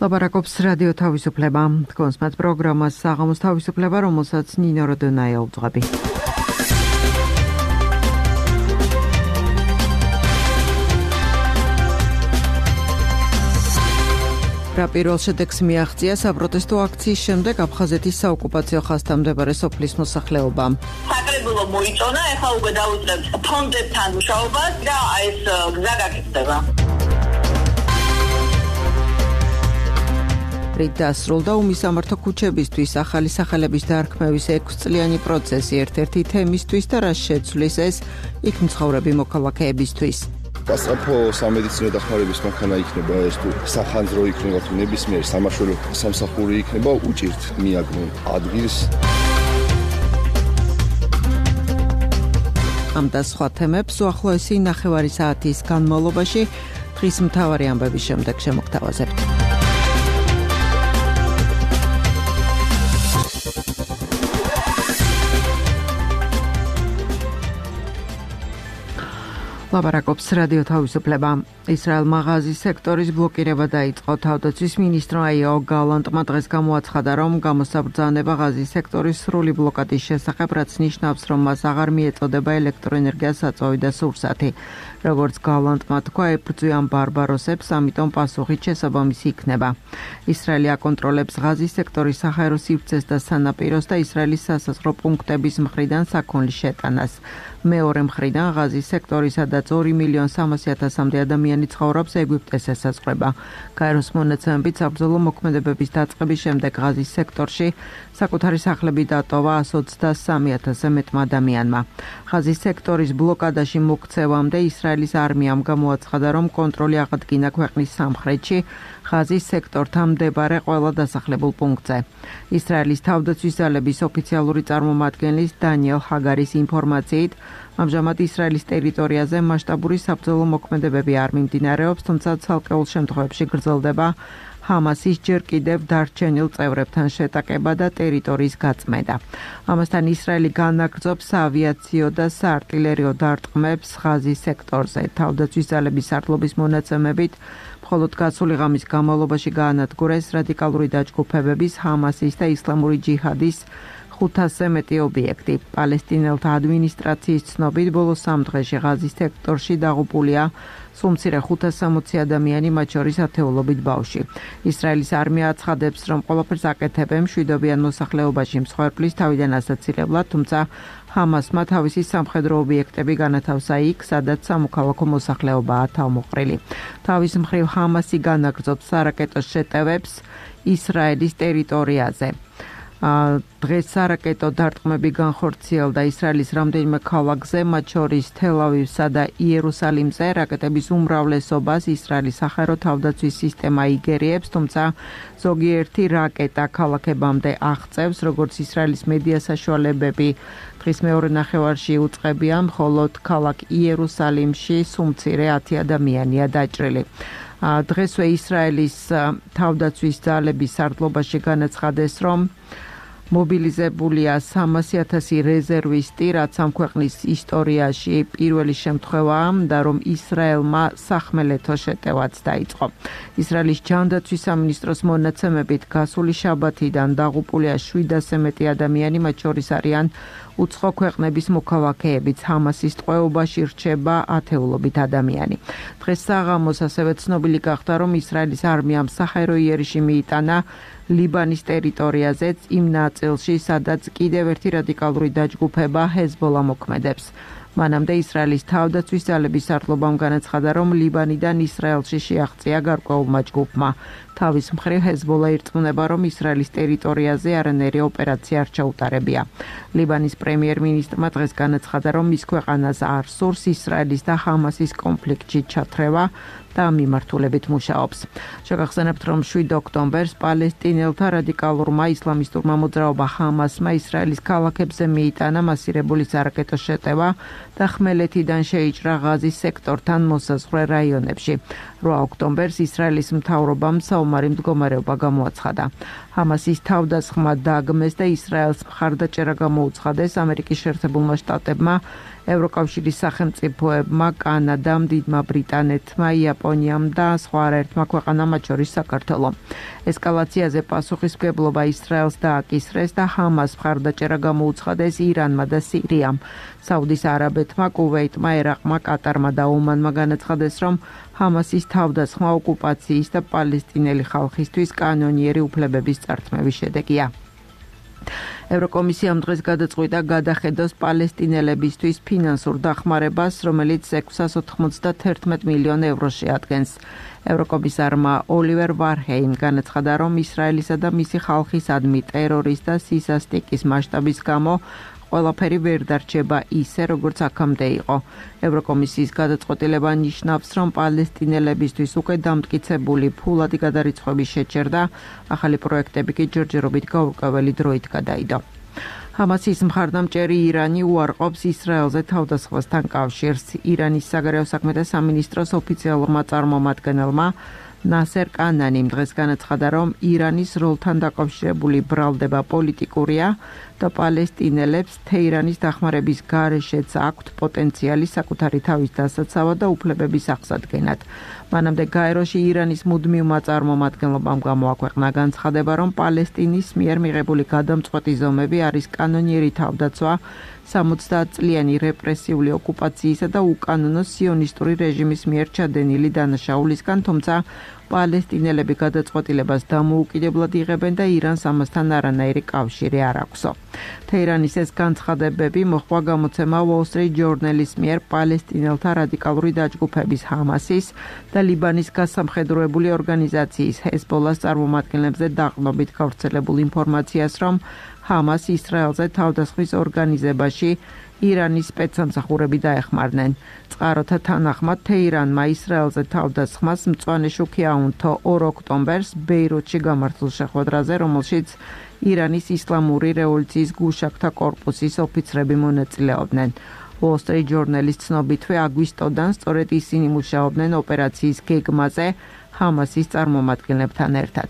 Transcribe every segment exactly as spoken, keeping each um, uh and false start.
ლაპარაკობს რადიო თავისუფლება. Თქვენს პროგრამას საღამოს თავისუფლება, რომელსაც ნინო როდონაია უძღვები. რა პირველ შედეგს მიაღწია საპროტესტო აქციის შემდეგ აფხაზეთის საოკუპაციო ხაზთან მდებარე სოფლის მოსახლეობამ. საკრებულო მოიწონა, ეხლა უკვე დაუწყებთ ფონდებთან მუშაობას და ეს გზა გაკეთდება. რით დასრულდა უმისამართო ქუჩებისთვის ახალი სახელების დარქმევის ექვსწლიანი პროცესი ერთ-ერთი თემისთვის და რა შეცვლის ეს იქ მცხოვრები მოქალაქეებისთვის. გასწრაფო სამედიცინო დახმარების მანქანა იქნება ეს თუ სახანძრო იქნება თუ ნებისმიერი სამაშველო სამსახური იქნება უჭირთ მიაგნო ადგილს. ამ და სხვა თემებს უახლოესი ნახევარი საათის განმავლობაში დღის მთავარი ამბების შემდეგ შემოგთავაზებთ. ლაპარაკობს რადიო თავისუფლება. ისრაელმა ღაზის სექტორის ბლოკირება დაიწყო. თავდაცვის მინისტრმა იოავ გალანტმა დღეს გამოაცხადა, რომ გამოსაბრძანება ღაზის სექტორის სრული ბლოკადის შესახებ, რაც ნიშნავს, რომ მას აღარ მიეწოდება ელექტროენერგიას საწვავი და სურსათი. როგორც გალანტმა თქვა, ებრძვიან ბარბაროსებს, ამიტომ პასუხი შესაბამისი იქნება. ისრაელი აკონტროლებს ღაზის სექტორის საჰაერო სივრცეს და სანაპიროს და ისრაელის სასაზღვრო პუნქტების მხრიდან საქონლის შეტანას. მეორე მხრიდან ღაზის სექტორი, სადაც ორი მილიონი სამასი ათასამდე ადამიანი ცხოვრობს, ეგვიპტეს ესაზღვრება. გაეროს მონაცემებით საბრძოლო მოქმედებების დაწყების შემდეგ ღაზის სექტორში საკუთარი სახლები დატოვა εκατს ოცდასამი ათასზე მეტმა ადამიანმა. ღაზის სექტორის ბლოკადაში მოქცევამდე ისრაელის არმიამ გამოაცხადა, რომ კონტროლი აღადგინა ქვეყნის სამხრეთში ღაზის სექტორთან მდებარე ყველა დასახლებულ პუნქტზე. ისრაელის თავდაცვის ძალების ოფიციალური წარმომადგენლის დანიელ ჰაგარის ინფორმაციით, ამჟამად ისრაელის ტერიტორიაზე მასშტაბური საბრძოლო მოქმედებები არ მიმდინარეობს, თუმცა ცალკეულ შემთხვევებში გრძელდება ჰამასის ჯერ კიდევ დარჩენილ წევრებთან შეტაკება და ტერიტორიის გაწმენდა. ამასთან ისრაელი განაგრძობს საავიაციო და საარტილერიო დარტყმებს ღაზის სექტორზე. თავდაცვის ძალების სარდლობის მონაცემებით, მხოლოდ გასული ღამის განმავლობაში გაანადგურეს რადიკალური დაჯგუფებების ჰამასის და ისლამური ჯიჰადის ხუთასზე მეტი ობიექტი. პალესტინელთა ადმინისტრაციის ცნობით, ბოლო სამ დღეში ღაზის სექტორში დაღუპულია სულ მცირე ხუთას სამოცი ადამიანი, მათ შორის ათეულობით ბავშვი. ისრაელის არმია აცხადებს, რომ ყველაფერს აკეთებენ მშვიდობიან მოსახლეობაში მსხვერპლის თავიდან ასაცილებლად, თუმცა ჰამასმა თავისი სამხედრო ობიექტები განათავსა იქ, სადაც სამოქალაქო მოსახლეობაა თავმოყრილი. თავის მხრივ ჰამასი განაგრძობს სარაკეტო შეტევებს ისრაელის ტერიტორიაზე. დღეს სარაკეტო დარტყმები განხორციელდა ისრაელის რამდენიმე ქალაქზე, მათ შორის თელ-ავივსა და იერუსალიმზე. რაკეტების უმრავლესობას ისრაელის საჰაერო თავდაცვის სისტემა იგერიებს, თუმცა ზოგიერთი რაკეტა ქალაქებამდე აღწევს, როგორც ისრაელის მედია საშუალებები დღის მეორე ნახევარში უწყებიან, მხოლოდ ქალაქ იერუსალიმში სულ მცირე ათი ადამიანია დაჭრილი. დღესვე ისრაელის თავდაცვის ძალების სარდლობაში განაცხადეს, რომ მობილიზებულია სამასი ათასი რეზერვისტი, რაც ამ ქვეყნის ისტორიაში პირველი შემთხვევაა და რომ ისრაელმა სახმელეთო შეტევაც დაიწყო. ისრაელის ჯანდაცვის სამინისტროს მონაცემებით გასული შაბათიდან დაღუპულია შვიდასზე მეტი ადამიანი, მათ შორის არიან უცხო ქვეყნების მოქალაქეებიც. ჰამასის ტყვეობაში რჩება ათეულობით ადამიანი. დღეს საღამოს ასევე ცნობილი გახდა, რომ ისრაელის არმიამ საჰაერო იერიში მიიტანა ლიბანის ტერიტორიაზეც იმ ნაწილში, სადაც კიდევ ერთი რადიკალური დაჯგუფება ჰეზბოლა მოქმედებს. მანამდე ისრაელის თავდაცვის ძალების სარდლობამ განაცხადა, რომ ლიბანიდან ისრაელში შეაღწია გარკვეულმა ჯგუფმა. თავის მხრივ ჰეზბოლა ირწმუნება, რომ ისრაელის ტერიტორიაზე არანაირი ოპერაცია არ ჩაუტარებია. ლიბანის პრემიერ-მინისტრმა დღეს განაცხადა, რომ მის ქვეყანას არ სურს ისრაელის და ჰამასის კონფლიქტში ჩათრევა და მიმართულებით მუშაობს. შეგახსენებთ, რომ შვიდ ოქტომბერს პალესტინელთა რადიკალურმა ისლამისტურმა მოძრაობა ჰამასმა ისრაელის ქალაქებზე მიიტანა მასირებული სარაკეტო შეტევა და ხმელეთიდან შეიჭრა ღაზის სექტორთან მოსაზღვრე რაიონებში. რვა ოქტომბერს ისრაელის მთავრობამ საომარი მდგომარეობა გამოაცხადა. ჰამასის თავდასხმა დაგმეს და ისრაელს მხარდაჭერა გამოუცხადეს ამერიკის შეერთებულმა შტატებმა, ევროკავშირის სახელმწიფოებმა, კანადამ, დიდმა ბრიტანეთმა, იაპონიამ და სხვა არაერთმა ქვეყანამ, მათ შორის საქართველომ. ესკალაციაზე პასუხისმგებლობა ისრაელს დააკისრეს და ჰამას მხარდაჭერა გამოუცხადეს ირანმა და სირიამ. საუდის არაბეთმა, კუვეიტმა, ერაყმა, კატარმა და ომანმა განაცხადეს, რომ ჰამასის თავდასხმა ოკუპაციის და პალესტინელი ხალხისთვის კანონიერი უფლებების წართმევის შედეგია. ევროკომისიამ დღეს გადაწყვიტა გადახედოს პალესტინელებისთვის ფინანსურ დახმარებას, რომელიც ექვსას ოთხმოცდაერთი მილიონ ევროს შეადგენს. ევროკომისარმა ოლივერ ვარჰეიმ განაცხადა, რომ ისრაელისა და მისი ხალხისადმი ტერორის და სისასტიკის მასშტაბის გამო ყველაფერი ვერ დარჩება ისე, როგორც აქამდე იყო. ევროკომისიის გადაწყვეტილება ნიშნავს, რომ პალესტინელებისთვის უკვე დამტკიცებული ფულადი გადარიცხვების შეჩერდა, ახალი პროექტები კი ჯერჯერობით გაურკვეველი დროით გადაიდო. ჰამასის მხარდამჭერი ირანი უარყოფს ისრაელზე თავდასხმასთან კავშირს. ირანის საგარეო საქმეთა სამინისტროს ოფიციალურმა წარმომადგენელმა ნასერ კანანიმ დღეს განაცხადა, რომ ირანის როლთან დაკავშირებული ბრალდება პოლიტიკურია და პალესტინელებს თეირანის დახმარების გარეშეც აქვთ პოტენციალი საკუთარი თავის დასაცავად და უფლებების აღსადგენად. მანამდე გაეროში ირანის მუდმივმა წარმომადგენლობამ გამოაქვეყნა განცხადება, რომ პალესტინის მიერ მიღებული გადამწყვეტი ზომები არის კანონიერი თავდაცვა სამოცდაათწლიანი რეპრესიული ოკუპაციისა და უკანონო სიონისტური რეჟიმის მიერ ჩადენილი დანაშაულისგან, თუმცა პალესტინელები გადაწყვეტილებას დამოუკიდებლად იღებენ და ირანს ამასთან არანაირი კავშირი არ აქვსო. თეირანის ეს განცხადებები მოჰყვა გამოცემა Wall Street Journal-ის მიერ პალესტინელთა რადიკალური დაჯგუფების ჰამასის და ლიბანის გასამხედროებული ორგანიზაციის ჰეზბოლას წარმომადგენლებზე დაყრდნობით გავრცელებულ ინფორმაციას, რომ ჰამას ისრაელზე თავდასხმის ორგანიზებაში ირანის სპეცსამსახურები დაეხმარნენ. წყაროთა თანახმად თეირანმა ისრაელზე თავდასხმას მწვანე შუქი აუნთო ორ ოქტომბერს ბეირუთში გამართულ შეხვედრაზე, რომელშიც ირანის ისლამური რევოლუციის გუშაგთა კორპუსის ოფიცრები მონაწილეობდნენ. Wall Street Journal-ის ცნობითვე აგვისტოდან სწორედ ისინი მუშაობდნენ ოპერაციის გეგმაზე ჰამასის წარმომადგენლებთან ერთად.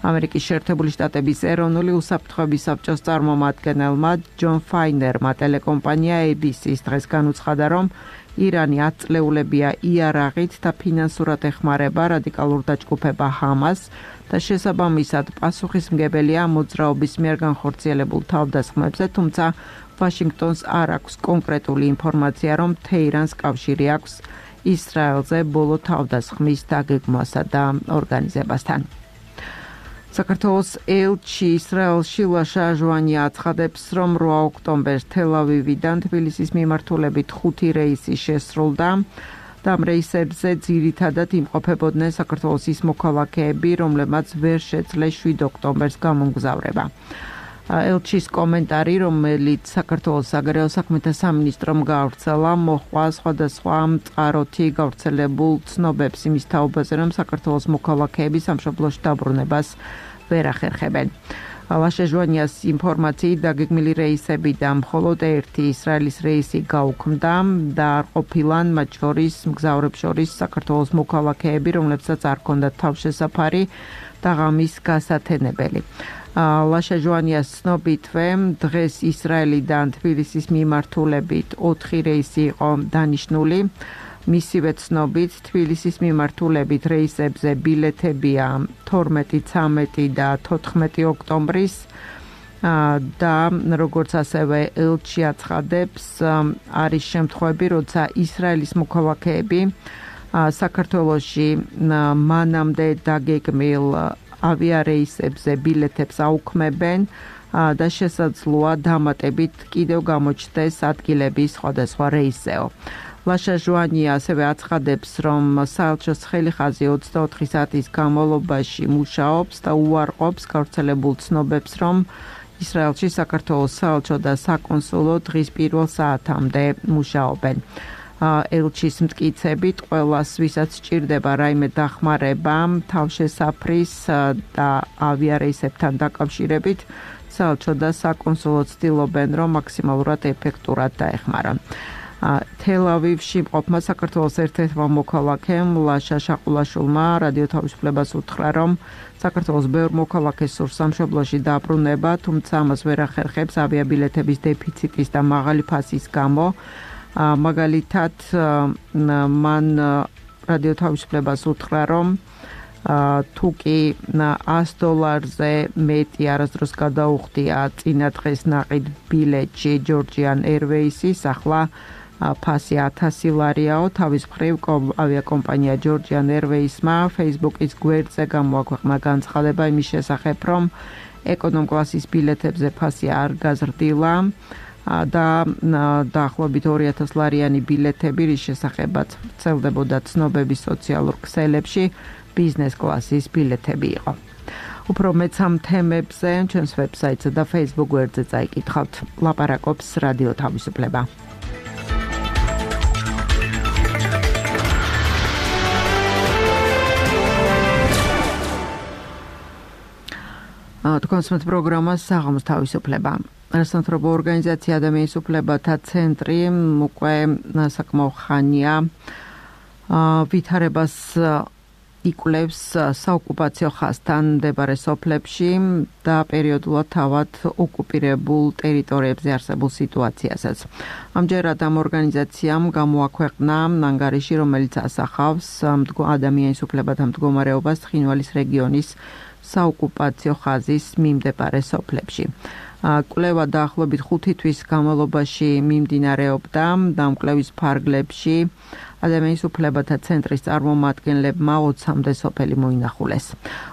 ამერიკის შეერთებული შტატების ეროვნული უსაფრთხოების საბჭოს წარმომადგენელმა ჯონ ფაინერმა ტელეკომპანია A B C-ს დღეს განუცხადა, რომ ირანი ათწლეულებია იარაღით და ფინანსურად ეხმარება რადიკალურ დაჯგუფება ჰამას და შესაბამისად პასუხისმგებელია მოძრაობის მიერ განხორციელებულ თავდასხმებზე, თუმცა ვაშინგტონს არ აქვს კონკრეტული ინფორმაცია, რომ თეირანს კავშირი აქვს ისრაელზე ბოლო თავდასხმის დაგეგმვასა და ორგანიზებასთან. საქართველოს ელჩი ისრაელში ლაშა ჟვანია აცხადებს, რომ რვა ოქტომბერს თელ-ავივიდან თბილისის მიმართულებით ხუთი რეისი შესრულდა და ამ რეისებზე ძირითადად იმყოფებოდნენ საქართველოს ის მოქალაქეები, რომლებმაც ვერ შეძლეს შვიდ ოქტომბერს გამომგზავრება. ელჩის კომენტარი, რომელიც საქართველოს საგარეო საქმეთა სამინისტრომ გაავრცელა, მოჰყვა სხვადასხვა მწყაროთი გავრცელებულ ცნობებს იმის თაობაზე, რომ საქართველოს მოქალაქეები სამშობლოში დაბრუნებას ვერ ახერხებენ. ლაშა ჟვანიას ინფორმაციით დაგეგმილი რეისებიდან მხოლოდ ერთი ისრაელის რეისი გაუქმდა და არ ყოფილან მათ შორის მგზავრებს შორის საქართველოს მოქალაქეები, რომლებსაც არ ჰქონდათ თავშესაფარი და ღამის გასათენებელი. ლაშა ჟვანიას ცნობითვე დღეს ისრაელიდან თბილისის მიმართულებით ოთხი რეისი იყო დანიშნული. მისივე ცნობით თბილისის მიმართულებით რეისებზე ბილეთებია თორმეტი, ცამეტი და თოთხმეტი ოქტომბრის და როგორც ასევე ელჩი აცხადებს, არის შემთხვევები, როცა ისრაელის მოქალაქეები საქართველოში მანამდე დაგეგმილ ავიარეისებზე ბილეთებს აუქმებენ და შესაძლოა დამატებით კიდევ გამოჩნდეს ადგილები სხვადასხვა რეისზეო. ლაშა ჟვანია ასევე აცხადებს, რომ საელჩოს ხელიხაზი ოცდაოთხი საათის განმავლობაში მუშაობს და უარყოფს გავრცელებულ ცნობებს, რომ ისრაელში საქართველოს საელჩო და საკონსულო დღის პირველ საათამდე მუშაობენ. ელჩის მტკიცებით, ყველას, ვისაც სჭირდება რაიმე დახმარება თავშესაფრის და ავიარეისებთან დაკავშირებით, საელჩო და საკონსულო ცდილობენ, რომ მაქსიმალურად ეფექტურად დაეხმარონ. თელ-ავივში მყოფმა საქართველოს ერთ-ერთმა მოქალაქემ ლაშა შაყულაშვილმა რადიო თავისუფლებას უთხრა, რომ საქართველოს ბევრ მოქალაქეს სურს სამშობლოში დაბრუნება, თუმცა ამას ვერ ახერხებს ავიაბილეთების დეფიციტის და მაღალი ფასის გამო. მაგალითად, მან რადიო თავისუფლებას უთხრა, რომ თუ კი ას დოლარზე მეტი არასდროს გადაუხდია წინა დღეს ნაყიდ ბილეთში Georgian Airways-ის, ახლა ფასი ათასი ლარიაო. თავის მხრივ ავიაკომპანია Georgian Airways-მა Facebook-ის გვერდზე გამოაქვეყნა განცხადება იმის შესახებ, რომ ეკონომ კლასის ბილეთებზე ფასი არ გაზრდილა და დაახლოებით ორი ათას ლარიანი ბილეთები, რის შესახებაც ვრცელდებოდა ცნობები სოციალურ ქსელებში, ბიზნეს კლასის ბილეთები იყო. უფრო მეც ამ თემებზე ჩვენს ვებსაიტსა და Facebook გვერდზე წაიკითხავთ. ლაპარაკობს რადიო თავისუფლება. თქვენს პროგრამას საღამოს თავისუფლება. რასამთავრობო ორგანიზაცია ადამიანის უფლებათა ცენტრი უკვე საკმაო ხანია ვითარებას იკვლევს საოკუპაციო ხაზთან მდებარე სოფლებში და პერიოდულად თავად ოკუპირებულ ტერიტორიებზე არსებულ სიტუაციასაც. ამჯერად ამ ორგანიზაციამ გამოაქვეყნა ანგარიში, რომელიც ასახავს ადამიანის უფლებათა მდგომარეობას ცხინვალის რეგიონის საოკუპაციო ხაზის მიმდებარე სოფლებში. კვლევა დაახლოებით ხუთი თვის განმავლობაში მიმდინარეობდა და ამ კვლევის ფარგლებში ადამიანის უფლებათა ცენტრის წარმომადგენლებმა ოცამდე სოფელი მოინახულეს.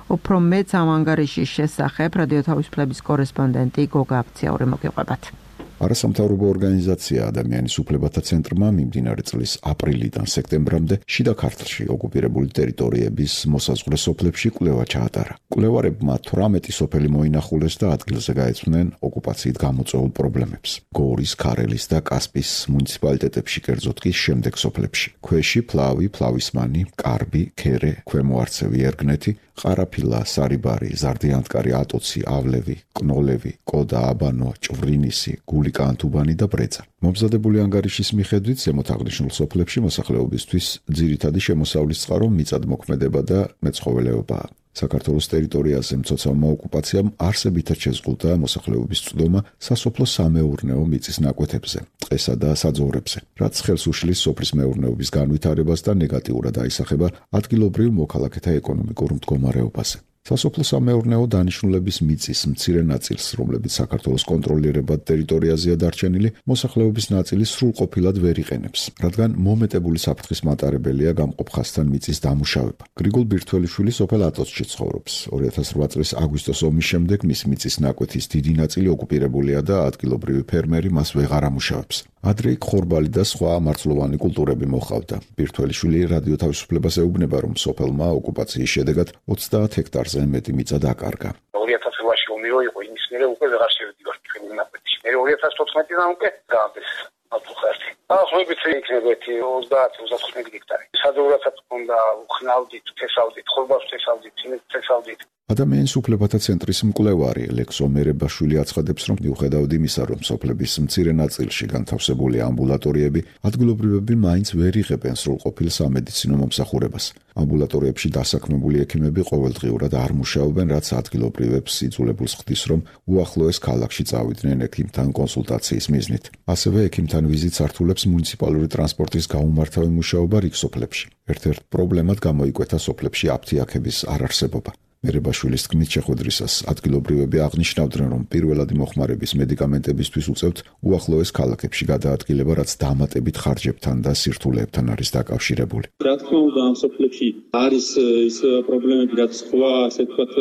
უფრო მეც ამ ანგარიშის შესახებ რადიო თავისუფლების კორესპონდენტი გოგა აფციური მოგიყვებათ. არასამთავრობო ორგანიზაცია ადამიანის უფლებათა ცენტრმა მიმდინარე წლის აპრილიდან სექტემბრამდე შიდა ქართლში ოკუპირებული ტერიტორიების მოსაზღვრე სოფლებში კვლევა ჩაატარა. კვლევარებმა თვრამეტი სოფელი მოინახულეს და ადგილზე გაეცნენ ოკუპაციით გამოწვეულ პრობლემებს. გორის, ქარელის და კასპის მუნიციპალიტეტებში, კერძოდ კი შემდეგ სოფლებში: ქვეში, ფლავი, ფლავისმანი, კარბი, ქერე, ქვემო არცევი, ერგნეთი, ყარაფილა, სარიბარი, ზარდიანტკარი, ატოცი, ავლევი, კნოლევი, კოდა, აბანო, ჭვრინისი, გულიკანთუბანი და ბრეწა. მომზადებული ანგარიშის მიხედვით ზემოთ აღნიშნულ სოფლებში მოსახლეობისთვის ძირითადი შემოსავლის წყარო მიწადმოქმედება და მეცხოველეობაა. საქართველოს ტერიტორიაზე მცოცავმა ოკუპაციამ არსებითად შეზღუდა მოსახლეობის წვდომა სასოფლო სამეურნეო მიწის ნაკვეთებზე, ტყესა და საძოვრებზე, რაც ხელს უშლის სოფლის მეურნეობის განვითარებას და ნეგატიურად აისახება ადგილობრივ მოქალაქეთა ეკონომიკურ მდგომარეობაზე. სასოფლო სამეურნეო დანიშნულების მიწის მცირე ნაწილს, რომლებიც საქართველოს კონტროლირებად ტერიტორიაზეა დარჩენილი, მოსახლეობის ნაწილი სრულყოფილად ვერ იყენებს, რადგან მომეტებული საფრთხის მატარებელია გამყოფ ხაზთან მიწის დამუშავება. გრიგოლ ბირთველიშვილი სოფელ ატოცში ცხოვრობს. ორი ათას რვა წლის აგვისტოს ომის შემდეგ მის მიწის ნაკვეთის დიდი ნაწილი ოკუპირებულია და ადგილობრივი ფერმერი მას ვეღარ ამუშავებს. ადრე იქ ხორბალი და სხვა მარცვლოვანი კულტურები მოჰყავდა. ბირთველიშვილი რადიო თავისუფლებას ეუბნება, რომ სოფელმა ოკუპაციის შედეგად ოცდაათ ჰექტარზე მეტი მიწა დაკარგა. ორი ათას რვაში ომი იყო, იმის მერე უკვე ვეღარ შევდივარ ფეხბურთის ნაკვეთში. მე ორი ათას თოთხმეტიდან უკვე გაამდეს ალტუხარტი. ახლა იქნება ოცდაათ ოცდათხმეტი ჰექტარი. საძოვრაცაც უნდა ხნავდით, თესავდით, ხორბალს თესავდით, ციმენტს თესავდით. ადამიანის უფლებათა ცენტრის მკვლევარი ლექსო მერებაშვილი აცხადებს, რომ მიუხედავად იმისა, რომ სოფლების მცირე ნაწილში განთავსებული ამბულატორიები, ადგილობრივები მაინც ვერ იღებენ სრულყოფილ სამედიცინო მომსახურებას. ამბულატორიებში დასაქმებული ექიმები ყოველდღიურად არ მუშაობენ, რაც ადგილობრივებს იძულებულს ხდის, რომ უახლოეს ქალაქში წავიდნენ ექიმთან კონსულტაციის მიზნით. ასევე ექიმთან ვიზიტს ართულებს მუნიციპალური ტრანსპორტის გაუმართავი მუშაობა რიგ სოფლებში. ერთ-ერთ პრობლემად გამოიკვეთა სოფლებში აფთიაქების არარსებობა. მერებაშვილის თქმით შეხვედრისას ადგილობრივები აღნიშნავდნენ, რომ პირველადი მოხმარების მედიკამენტებისთვის უწევთ უახლოეს ქალაქებში გადაადგილება, რაც დამატებით ხარჯებთან და სირთულეებთან არის დაკავშირებული. რა თქმა უნდა, ამ სოფლებში არის ის პრობლემები, რაც სხვა, ასე ვთქვათ,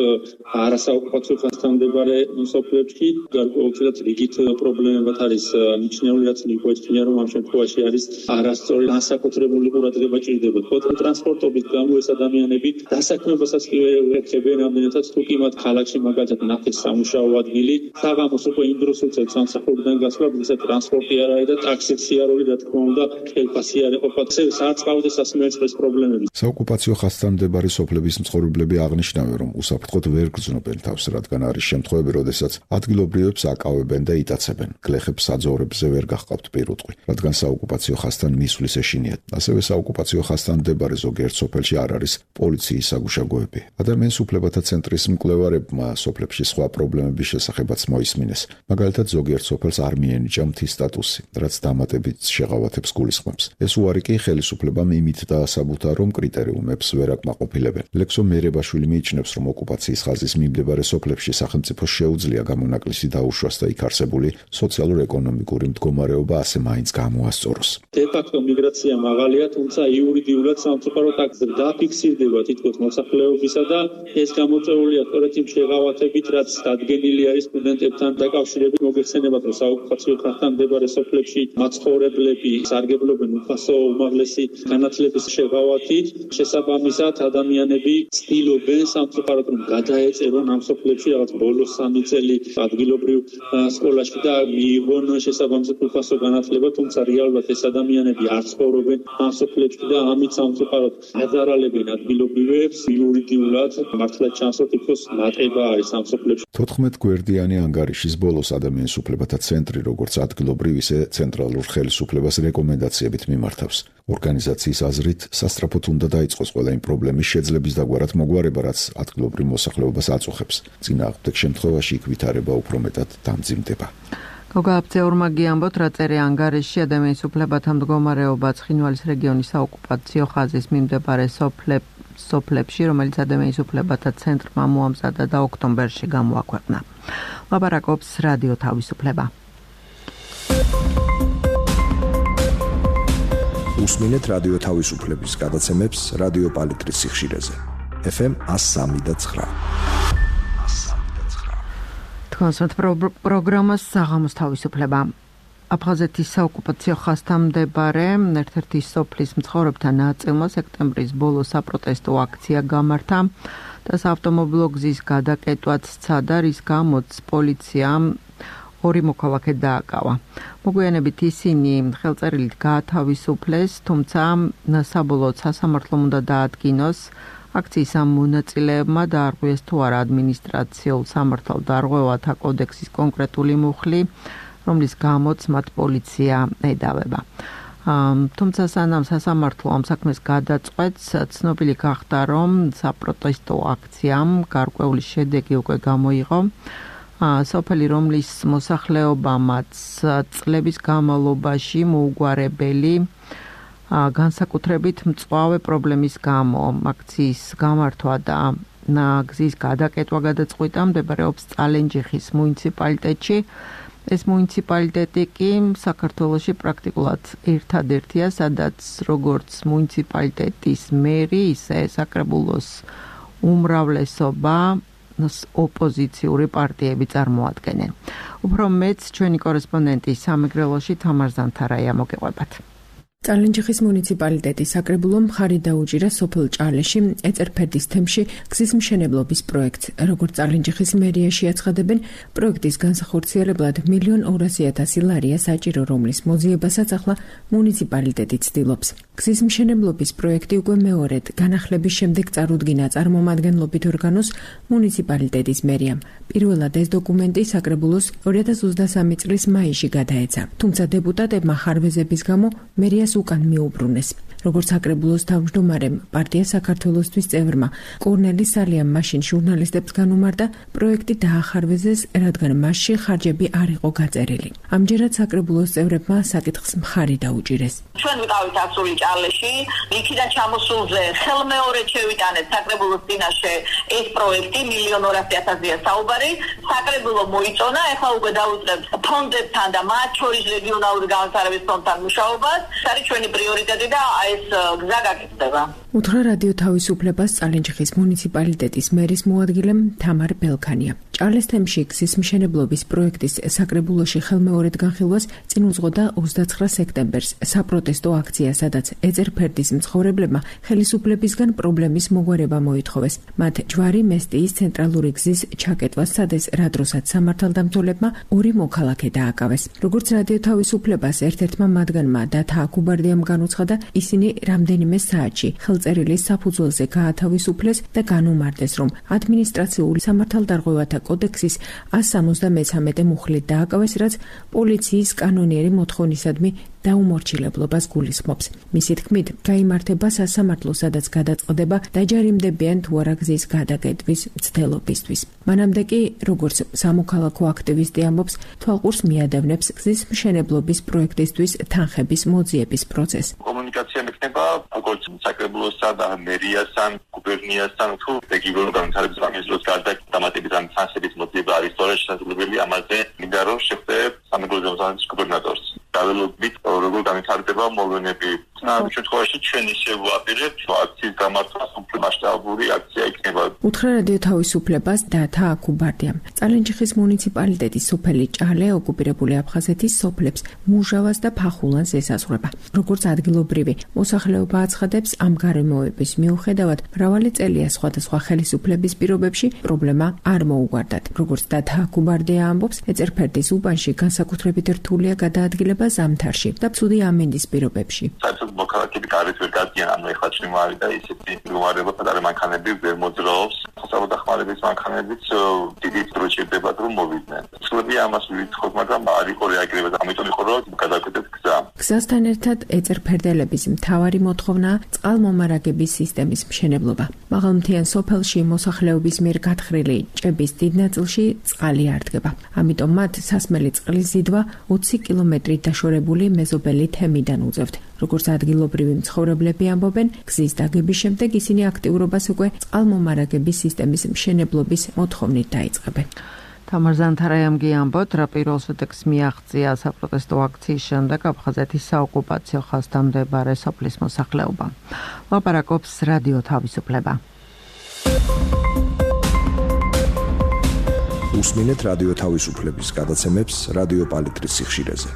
არასაოკუპაციო ხაზთან მდებარე სოფლებში, გარკვეულწილად რიგით პრობლემებად არის მიჩნეული, რაც მიგვეცნია, რომ ამ შემთხვევაში არის არასწორი განსაკუთრებული ყურადღება ჭირდება. ტრანსპორტობით გამო ეს ადამიანები დასაქმებასაც კი ვერ ეხება. მივიდნენ რამდენადაც თუ კი მათ ქალაქში მაგალითად ნახეს სამუშაო ადგილი, საღამოს უკვე იმ დროს უწევს სამსახურიდან გასვლა, ვისაც ტრანსპორტი არ არის და ტაქსი არ არის, რა თქმა უნდა, ხელფასი არ ეყოფა, საწყავდეს სასმელწყლის პრობლემები. საოკუპაციო ხაზთან მდებარე სოფლების მცხოვრებლები აღნიშნავენ, რომ უსაფრთხოდ ვერ გრძნობენ თავს, რადგან არის შემთხვევები, როდესაც ადგილობრივებს აკავებენ და იტაცებენ. გლეხებს საძოვრებზე ვერ გაჰყავთ პირუტყვი, რადგან საოკუპაციო ხაზთან მისვლის ეშინიათ. ასევე საოკუპაციო ხაზთან მდებარე ზოგიერთ სოფელში არ არის პოლიციის საგუშაგოები. ადამიანის უფლებათა ცენტრის მკვლევარებმა სოფლებში სხვა პრობლემების შესახებაც მოისმინეს. მაგალითად, ზოგიერთ სოფელს არ მიენიჭა მთის სტატუსი, რაც დამატებით შეღავათებს გულისხმობს. ეს უარი კი ხელისუფლებამ იმით დაასაბუთა, რომ კრიტერიუმებს ვერ აკმაყოფილებენ. ლექსო მერებაშვილი მიიჩნევს, რომ ოკუპაციის ხაზის მიმდებარე სოფლებში სახელმწიფოს შეუძლია გამონაკლისი დაუშვას და იქ არსებული სოციალურ-ეკონომიკური მდგომარეობა ასე მაინც გამოასწოროს. დე-ფაქტო მიგრაცია მაღალია, თუმცა იურიდიულად სამწუხარო ტაქსი დაფიქსირდება თითქოს მოსახლეობისა და ეს გამოწვეულია სწორედ იმ შეღავათებით, რაც დადგენილი არის სტუდენტებთან დაკავშირებით. მოგეხსენებათ, რომ საოკუპაციო ხაზთან მდებარე სოფლებში მაცხოვრებლები სარგებლობენ უფასო უმაღლესი განათლების შეღავათით. შესაბამისად, ადამიანები ცდილობენ სამწუხაროდ რომ გადაეწერონ ამ სოფლებში რაღაც ბოლო სამი წელი ადგილობრივ სკოლაში და მიიღონ შესაბამისად უფასო განათლება, თუმცა რეალურად ეს ადამიანები არ ცხოვრობენ ამ სოფლებში და ამით სამწუხაროდ აზარალებენ ადგილობრივებს. იურიდიულად მართლა ჩანს, რომ თითქოს მატება არის ამ სოფლებში. თოთხმეტ გვერდიანი ანგარიშის ბოლოს ადამიანის უფლებათა ცენტრი როგორც ადგილობრივ, ისე ცენტრალურ ხელისუფლებას რეკომენდაციებით მიმართავს. ორგანიზაციის აზრით, სასწრაფოდ უნდა დაიწყოს ყველა იმ პრობლემის შეძლების დაგვარად მოგვარება, რაც ადგილობრივ მოსახლეობას აწუხებს. წინააღმდეგ შემთხვევაში იქ ვითარება უფრო მეტად დამძიმდება. გოგააფცეურმა გიამბოთ, რა წერია ანგარიშში ადამიანის უფლებათა მდგომარეობა ცხინვალის რეგიონის საოკუპაციო ხაზის მიმდებარე სოფლებში, სოფლებში, რომელიც ადამიანის უფლებათა ცენტრმა მოამზადა და ოქტომბერში გამოაქვეყნა. ლაპარაკობს რადიო თავისუფლება. უსმინეთ რადიო თავისუფლების გადაცემებს რადიო პალიტრის სიხშირეზე. ეფ ემ one oh three point nine. თქვენს პროგრამას საღამოს თავისუფლება. აფხაზეთის საოკუპაციო ხაზთან მდებარე ერთ-ერთი სოფლის მცხოვრებთა ნაწილმა სექტემბრის ბოლოს საპროტესტო აქცია გამართა და საავტომობილო გზის გადაკეტვაც სცადა, რის გამოც პოლიციამ ორი მოქალაქე დააკავა. მოგვიანებით ისინი ხელწერილით გაათავისუფლეს, თუმცა საბოლოოდ სასამართლომ უნდა დაადგინოს აქციის ამ მონაწილეებმა დაარღვიეს თუ არა ადმინისტრაციულ სამართალ დარღვევათა კოდექსის კონკრეტული მუხლი, რომლის გამოც მათ პოლიცია ედავება. თუმცა სანამ სასამართლო ამ საქმეს გადაწყვეტს, ცნობილი გახდა, რომ საპროტესტო აქციამ გარკვეული შედეგი უკვე გამოიღო. სოფელი, რომლის მოსახლეობამაც წლების განმავლობაში მოუგვარებელი განსაკუთრებით მწვავე პრობლემის გამო აქციის გამართვა და გზის გადაკეტვა გადაწყვიტა, მდებარეობს წალენჯიხის მუნიციპალიტეტში. ეს მუნიციპალიტეტი კი საქართველოში პრაქტიკულად ერთადერთია, სადაც როგორც მუნიციპალიტეტის მერი, ისე საკრებულოს უმრავლესობა ოპოზიციური პარტიები წარმოადგენენ. უფრო მეც ჩვენი კორესპონდენტი სამეგრელოში თამარ ზანთარაია მოგეყვებათ. წალენჯიხის მუნიციპალიტეტის საკრებულო მხარი დაუჭირა სოფელ ჭალეში ეწერფერდის თემში გზის მშენებლობის პროექტს. როგორც წალენჯიხის მერიაში აცხადებენ, პროექტის განსახორციელებლად მილიონ ორასი ათასი ლარია საჭირო, რომლის მოძიებასაც ახლა მუნიციპალიტეტი ცდილობს. გზის მშენებლობის პროექტი უკვე მეორედ განახლების შემდეგ წარუდგინა წარმომადგენლობით ორგანოს მუნიციპალიტეტის მერიამ. პირველად ეს დოკუმენტი საკრებულოს ორი ათას ოცდასამი წლის მაისში გადაეცა, თუმცა დეპუტატებმა ხარვეზების გამო მერიას უკან მიუბრუნეს. როგორც საკრებულოს თავმჯდომარემ პარტია საქართველოსთვის წევრმა კორნელი სალიამ მაშინ ჟურნალისტებს განუმარტა, პროექტი დაახარვეზეს, რადგან მასში ხარჯები არ იყო გაწერილი. ამჯერად საკრებულოს წევრებმა საკითხს მხარი დაუჭირეს. ჩვენ ვიყავით ასული ჭალეში, იქიდან ჩამოსულზე ხელმეორედ შევიტანეთ საკრებულოს წინაშე ეს პროექტი მილიონ ორასი ათასია საუბარი. საკრებულო მოიწონა, ეხლა უკვე დაუწყებთ ფონდებთან და მათ შორის რეგიონალური განვითარების ფონდთან მუშაობას. ეს არის ჩვენი პრიორიტეტი და ეს გზა გაკეთდება. უთხრა რადიო თავისუფლებას წალენჯიხის მუნიციპალიტეტის მერის მოადგილემ თამარ ბელქანია. ჭალეს თემში გზის მშენებლობის პროექტის საკრებულოში ხელმეორედ განხილვას წინ უძღოდა ოცდაცხრა სექტემბერს საპროტესტო აქცია, სადაც ეწერფერდის მცხოვრებლებმა ხელისუფლებისგან პრობლემის მოგვარება მოითხოვეს. მათ ჯვარი მესტიის ცენტრალური გზის ჩაკეტვას სადეს რა დროსაც სამართალდამცველებმა ორი მოქალაქე დააკავეს. როგორც რადიო თავისუფლებას ერთ-ერთმა მათგანმა დათა აკუბარდიამ განუცხადა, ისინი რამდენიმე საათში ხელწერილის საფუძველზე გაათავისუფლეს და განუმარტეს, რომ ადმინისტრაციული სამართალდარღვევათა კოდექსის ას სამოცდამეცამეტე მუხლით დააკავეს, რაც პოლიციის კანონიერი მოთხოვნისადმი დაუმორჩილებლობას გულისხმობს. მისი თქმით, გაიმართება სასამართლო, სადაც გადაწყდება დაჯარიმდებიან თუ არა გზის გადაკეტვის მცდელობისთვის. მანამდე კი, როგორც სამოქალაქო აქტივისტი ამბობს, თვალყურს მიადევნებს გზის მშენებლობის პროექტისთვის თანხების მოძიების პროცესს. კომუნიკაცია მექნება როგორც საკრებულოსა და მერიასთან, გუბერნიასთან თუ რეგიონულ განვითარების ბანკის დროს გარდა დამატებით ამ თანხების მოძიება არის სწორედ შესაძლებელი. ამაზე მინდა რომ შევხვდე სამეგრელო ზონის გუბერნატორს. დაველოდებით როგორ განვითარდება მოვლენები. ამ შემთხვევაში ჩვენ ისე ვაპირებთ აქციის გამართვას უფრო მასშტაბური აქცია იქნება. უთხრა რადიო თავისუფლებას დათა აკუბარდიამ. წალენჯიხის მუნიციპალიტეტის სოფელი ჭალე ოკუპირებული აფხაზეთის სოფლებს მუჟავას და ფახულანს ესაზღვრება. როგორც ადგილობრივი მოსახლეობა აცხადებს, ამ გარემოების მიუხედავად მრავალი წელია სხვადასხვა ხელისუფლების პირობებში პრობლემა არ მოუგვარდათ. როგორც დათა აკუბარდია ამბობს, ეწერფერდის უბანში განსაკუთრებით რთულია გადაადგილება ზამთარში და ცუდი ამინდის პირობებში. მოქალაქეები გარეთ ვერ გადიან, ანუ ეხლა ჩიმარი და ისეთი მდგომარეობა პატარა მანქანები ვერ მოძრაობს. სასწავლო დახმარების მანქანებიც დიდი დრო ჭირდება რომ მოვიდნენ. სულები ამას ვითხოვთ, მაგრამ არ იყო რეაგირება და ამიტომ იყო რომ გადავკეთეთ გზა. გზასთან ერთად ეწერფერდელების მთავარი მოთხოვნაა წყალმომარაგების სისტემის მშენებლობა. მაღალმთიან სოფელში მოსახლეობის მიერ გათხრილი ჭების დიდ ნაწილში წყალი არ დგება. ამიტომ მათ სასმელი წყლის ზიდვა ოცი კილომეტრით დაშორებული მეზობელი თემიდან უწევთ. როგორც ადგილობრივი მცხოვრებლები ამბობენ, გზის დაგების შემდეგ ისინი აქტიურობას უკვე წყალმომარაგების სისტემის მშენებლობის მოთხოვნით დაიწყებენ. თამარ ზანთარაიამ გიამბოთ, რა პირველ შედეგს მიაღწია საპროტესტო აქციის შემდეგ აფხაზეთის საოკუპაციო ხაზთან მდებარე სოფლის მოსახლეობა. ლაპარაკობს რადიო თავისუფლება. უსმინეთ რადიო თავისუფლების გადაცემებს რადიო პალიტრის სიხშირეზე.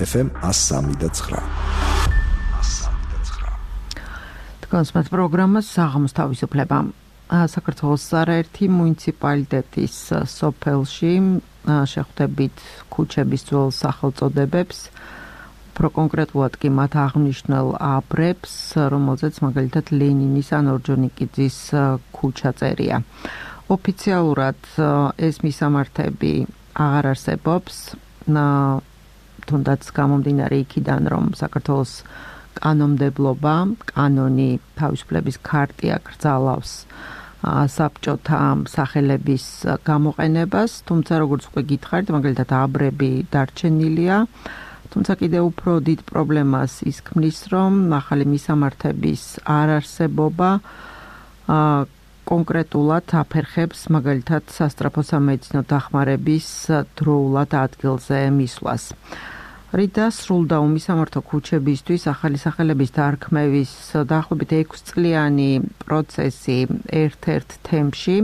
ეფ ემ ას სამი და ცხრა. კონსმეთ პროგრამას საღამოს თავისუფლება. საქართველოს არაერთი მუნიციპალიტეტის სოფელში შეხვდებით ქუჩების ძველ სახელწოდებებს, უფრო კონკრეტულად კი მათ აღნიშნულ აბრებს, რომელზეც მაგალითად ლენინის ან ორჯონიკიძის ქუჩა წერია. ოფიციალურად ეს მისამართები აღარ არსებობს, თუნდაც გამომდინარე იქიდან, რომ საქართველოს კანონმდებლობა, კანონი თავისუფლების ქარტია კრძალავს საბჭოთა სახელების გამოყენებას, თუმცა როგორც უკვე გითხარით, მაგალითად აბრები დარჩენილია, თუმცა კიდევ უფრო დიდ პრობლემას ის ქმნის, რომ ახალი მისამართების არ არსებობა კონკრეტულად აფერხებს მაგალითად სასწრაფო სამედიცინო დახმარების დროულად ადგილზე მისვლას. რიდა სრულდა უმისამართო ქუჩებისთვის ახალი სახელების დარქმევის დაახლოებით ექვსწლიანი პროცესი ერთ-ერთ თემში.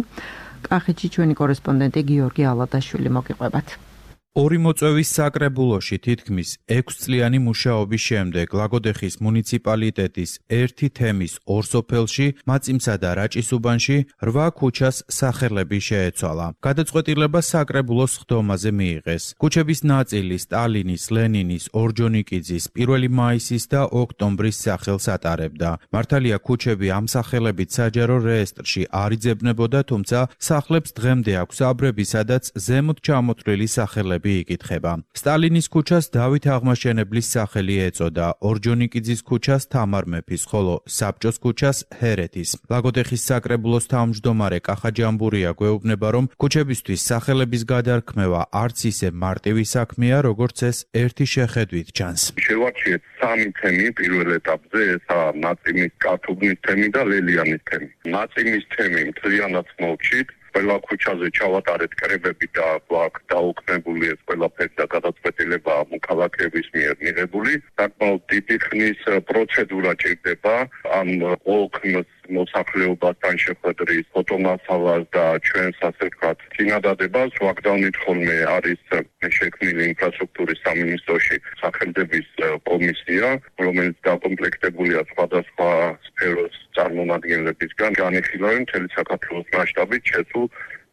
კახეთში ჩვენი კორესპონდენტი გიორგი ალადაშვილი მოგიყვებათ. ორი მოწვევის საკრებულოში თითქმის ექვსწლიანი მუშაობის შემდეგ ლაგოდეხის მუნიციპალიტეტის ერთი თემის ორ სოფელში, მაწიმსა და რაჭის უბანში რვა ქუჩას სახელები შეეცვალა. გადაწყვეტილება საკრებულოს ხდომაზე მიიღეს. ქუჩების ნაწილი სტალინის, ლენინის, ორჯონიკიძის, პირველი მაისის და ოქტომბრის სახელს ატარებდა. მართალია ქუჩები ამ სახელებით საჯარო რეესტრში არ იძებნებოდა, თუმცა სახლებს დღემდე აქვს აბრები, სადაც ზემოთ ჩამოთვლილი სახელები იკითხება. სტალინის ქუჩას დავით აღმაშენებლის სახელი ეწოდა, ორჯონიკიძის ქუჩას თამარ მეფის, ხოლო საბჭოს ქუჩას ჰერეთის. ლაგოდეხის საკრებულოს თავმჯდომარე კახა ჯამბურია გვეუბნება, რომ ქუჩებისთვის სახელების გადარქმევა არც ისე მარტივი საქმეა, როგორც ეს ერთი შეხედვით ჩანს. შევარჩიეთ სამი თემი პირველ ეტაპზე, ესაა ნაწიმის, კათუბნის თემი და ლელიანის თემი. ნაწიმის თემი მთლიანად მოვჭით. ყველა ქუჩაზე ჩავატარეთ კრებები და აქ დაუქმებული ეს ყველაფერი და გადაწყვეტილება მოქალაქეების მიერ მიღებული. საკმაოდ დიდი ხნის პროცედურა ჭირდება ამ ოქმს მოსახლეობასთან შეხვედრის, ფოტომასალას და ჩვენს ასე ვთქვათ წინადადებას. ვაგდავნით ხოლმე არის შექმნილი ინფრასტრუქტურის სამინისტროში სახელმწიფოს კომისია, რომელიც დაკომპლექტებულია სხვადასხვა სფეროს წარმომადგენლებისგან, განიხილავენ მთელი საქართველოს მასშტაბით შეცულ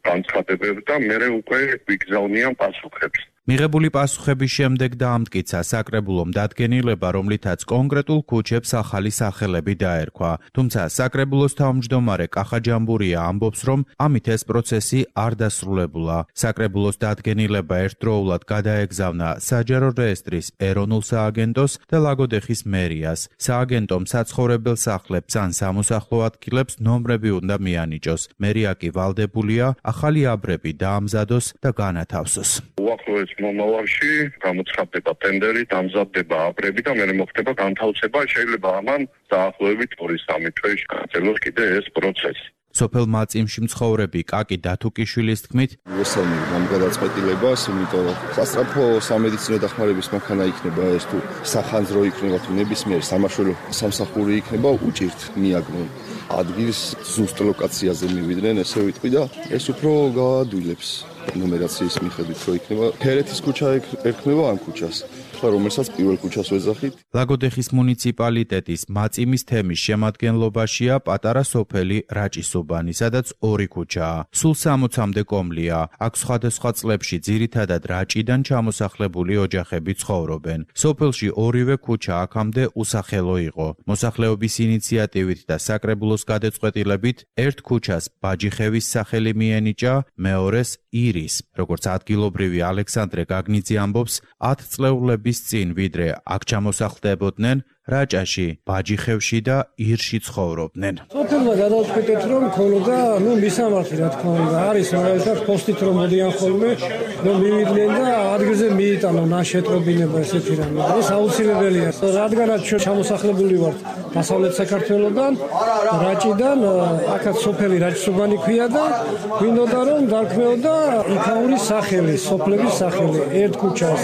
განცხადებებს და მერე უკვე ვიგზავნიან პასუხებს. მიღებული პასუხების შემდეგ დაამტკიცა საკრებულომ დადგენილება, რომლითაც კონკრეტულ ქუჩებს ახალი სახელები დაერქვა. თუმცა საკრებულოს თავმჯდომარე კახა ჯამბურია ამბობს, რომ ამით ეს პროცესი არ დასრულებულა. საკრებულოს დადგენილება ერთდროულად გადაეგზავნა საჯარო რეესტრის ეროვნულ სააგენტოს და ლაგოდეხის მერიას. სააგენტომ საცხოვრებელ სახლებს ან სამოსახლო ადგილებს ნომრები უნდა მიანიჭოს. მერია კი ვალდებულია ახალი აბრები დაამზადოს და განათავსოს. უახლოეს მომავალში გამოცხადდება ტენდერი, დამზადდება აბრები და მერე მოხდება განთავსება. შეიძლება ამან დაახლოებით ორი სამი თვეში გაგრძელოს კიდე ეს პროცესი. სოფელ მაწიმში მცხოვრები კაკი დათუკიშვილის თქმით, ვესალმები ამ გადაწყვეტილებას, იმიტომ რომ სასწრაფო სამედიცინო დახმარების მანქანა იქნება ეს თუ სახანძრო იქნება თუ ნებისმიერ სამაშველო სამსახური იქნება, უჭირთ მიაგნონ ადგილს ზუსტ ლოკაციაზე მივიდნენ, ესე ვიტყვი და ეს უფრო გაადვილებს ნუმერაციის მიხედვით, რომ იქნება ფერეთის ქუჩა ერქმევა ამ ქუჩას. რომელსაც პირველ ქუჩას ვეძახით. ლაგოდეხის მუნიციპალიტეტის მაწიმის თემის შემადგენლობაშია პატარა სოფელი რაჭისუბანი, სადაც ორი ქუჩაა. სულ სამოცამდე კომლია. აქ სხვადასხვა წლებში ძირითადად რაჭიდან ჩამოსახლებული ოჯახები ცხოვრობენ. სოფელში ორივე ქუჩა აქამდე უსახელო იყო. მოსახლეობის ინიციატივით და საკრებულოს გადაწყვეტილებით ერთ ქუჩას ბაჯიხევის სახელი მიენიჭა, მეორეს ირის. როგორც ადგილობრივი ალექსანდრე გაგნიძე ამბობს, ათწლეულების წინ ვიდრე აქ ჩამოსახლდებოდნენ, რაჭაში, ბაჯიხევში და ირში ცხოვრობდნენ. სოფელმა გადავწყვეტეთ, რომ ქონოდა, ნუ მისამართი რა თქმა უნდა, არის მაგალითად პოსტით რომ მოდიან ხოლმე, რომ მივიდნენ და ადგილზე მიიტანონ ნაშეტრობინება ესეთი რამე. ეს აუცილებელია, რადგანაც ჩვენ ჩამოსახლებული ვართ დასავლეთ საქართველოსგან, რაჭიდან, აქაც სოფელი რაჭისუბანი ქვია და გვინდოდა რომ დარქმეოდა იქაურის სახელი, სოფლების სახელი, ერთ ქუჩას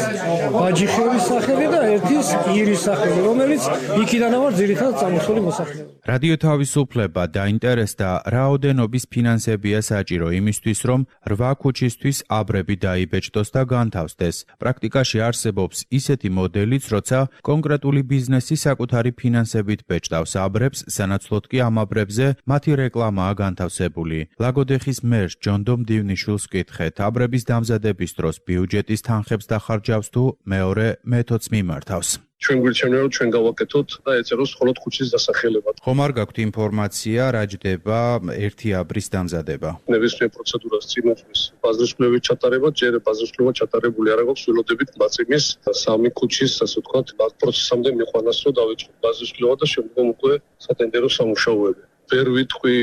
ბაჯიხევის სახელი და ერთის ირის სახელი, რომელიც იქიდან ავარ ძირითადად წამოსული მოსახლეობა. რადიო თავისუფლება დაინტერესდა, რაოდენობის ფინანსებია საჭირო იმისთვის, რომ რვა ქუჩისთვის აბრები დაიბეჭდოს და განთავსდეს. პრაქტიკაში არსებობს ისეთი მოდელიც, როცა კონკრეტული ბიზნესი საკუთარი ფინანსებით ბეჭდავს აბრებს, სანაცვლოდ კი ამ აბრებზე მათი რეკლამაა განთავსებული. ლაგოდეხის მერს ჯონდომ დივნიშვილს ვკითხეთ, აბრების დამზადების დროს ბიუჯეტის თანხებს დახარჯავს თუ მეორე მეთოდს მიმართავს. ჩვენ გვირჩევნა რომ ჩვენ გავაკეთოთ და ეწეროს მხოლოდ ქუჩის დასახელება. ხომ არ გაქვთ ინფორმაცია რა ჯდება ერთი აბრის დამზადება? ნებისმიერ პროცედურას წინ უძღვის ბაზრისკვლევით ჩატარება, ჯერ ბაზრისკვლევა ჩატარებული არ აქვს, ველოდებით მაწიმის სამი ქუჩის, ასე ვთქვათ, ამ პროცესამდე მიყვანას რომ დავიწყოთ ბაზრისკვლევა და შემდგომ უკვე სატენდერო სამუშაოები. ვერ ვიტყვი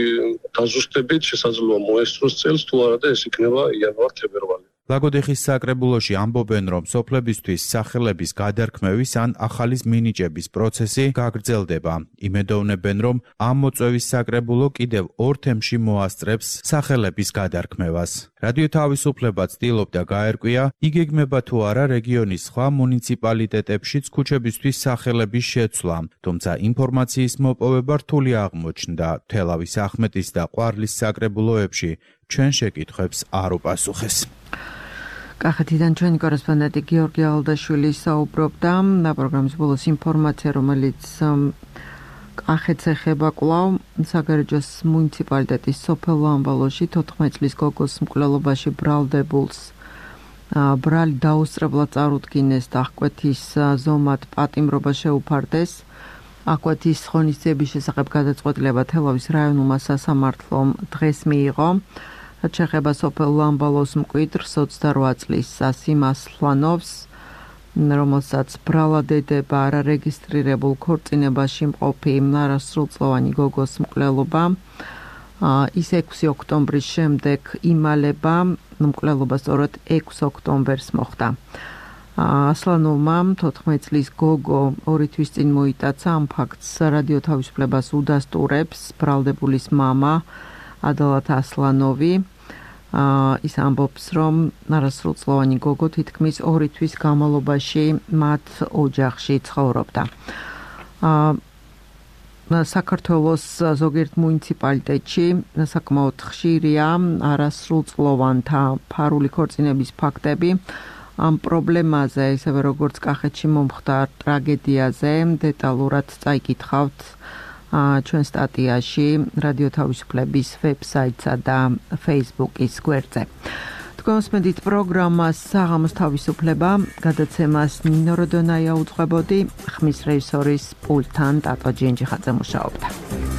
დაზუსტებით, შესაძლოა მოესწროს წელს თუ არა და ეს იქნება იანვარ-თებერვალი. ლაგოდეხის საკრებულოში ამბობენ, რომ სოფლებისთვის სახელების გადარქმევის ან ახალის მინიჭების პროცესი გაგრძელდება. იმედოვნებენ, რომ ამ მოწვევის საკრებულო კიდევ ორ თემში მოასწრებს სახელების გადარქმევას. რადიო თავისუფლება ცდილობდა გაერკვია, იგეგმება თუ არა რეგიონის სხვა მუნიციპალიტეტებშიც ქუჩებისთვის სახელების შეცვლა, თუმცა ინფორმაციის მოპოვება რთული აღმოჩნდა. თელავის ახმეტის და ყვარლის საკრებულოებში ჩვენ შეკითხვებს არ უპასუხეს. კახეთიდან ჩვენი კორესპონდენტი გიორგი ალდაშვილი საუბრობდა და პროგრამის ბოლოს ინფორმაცია, რომელიც კახეთს ეხება კვლავ საგარეჯოს მუნიციპალიტეტის სოფელ ლამბალოში თოთხმეტ წლის გოგოს მკვლელობაში ბრალდებულს ბრალი დაუსწრებლად წარუდგინეს და აღკვეთის ზომად პატიმრობა შეუფარდეს. აღკვეთის ღონისძიების შესახებ გადაწყვეტილება თელავის რაიონულმა სასამართლომ დღეს მიიღო. რაც შეეხება სოფელ ლამბალოს მკვიდრს ოცდარვა წლის ასიმ ასლანოვს, რომელსაც ბრალად ედება არარეგისტრირებულ ქორწინებაში მყოფი არასრულწლოვანი გოგოს მკვლელობა. ის ექვსი ოქტომბრის შემდეგ იმალება, მკვლელობა სწორედ ექვსი ოქტომბერს მოხდა. ასლანოვმა თოთხმეტ წლის გოგო ორი თვის წინ მოიტაცა, ამ ფაქტს რადიო თავისუფლებას უდასტურებს ბრალდებულის მამა ადალათ ასლანოვი. ის ამბობს, რომ არასრულწლოვანი გოგო თითქმის ორი თვის განმავლობაში მათ ოჯახში ცხოვრობდა. საქართველოს ზოგიერთ მუნიციპალიტეტში საკმაოდ ხშირია არასრულწლოვანთა ფარული ქორწინების ფაქტები. ამ პრობლემაზე, ისევე როგორც კახეთში მომხდარ ტრაგედიაზე, დეტალურად წაიკითხავთ ჩვენ სტატიაში რადიო თავისუფლების ვებსაიტსა და Facebook-ის გვერდზე. თქვენს მედით პროგრამას საღამოს თავისუფლება, გადაცემას ნინო როდონაია უძღვებოდი, ხმის რეჟისორის პულტთან ტატო ჯინჯიხაძე მუშაობდა.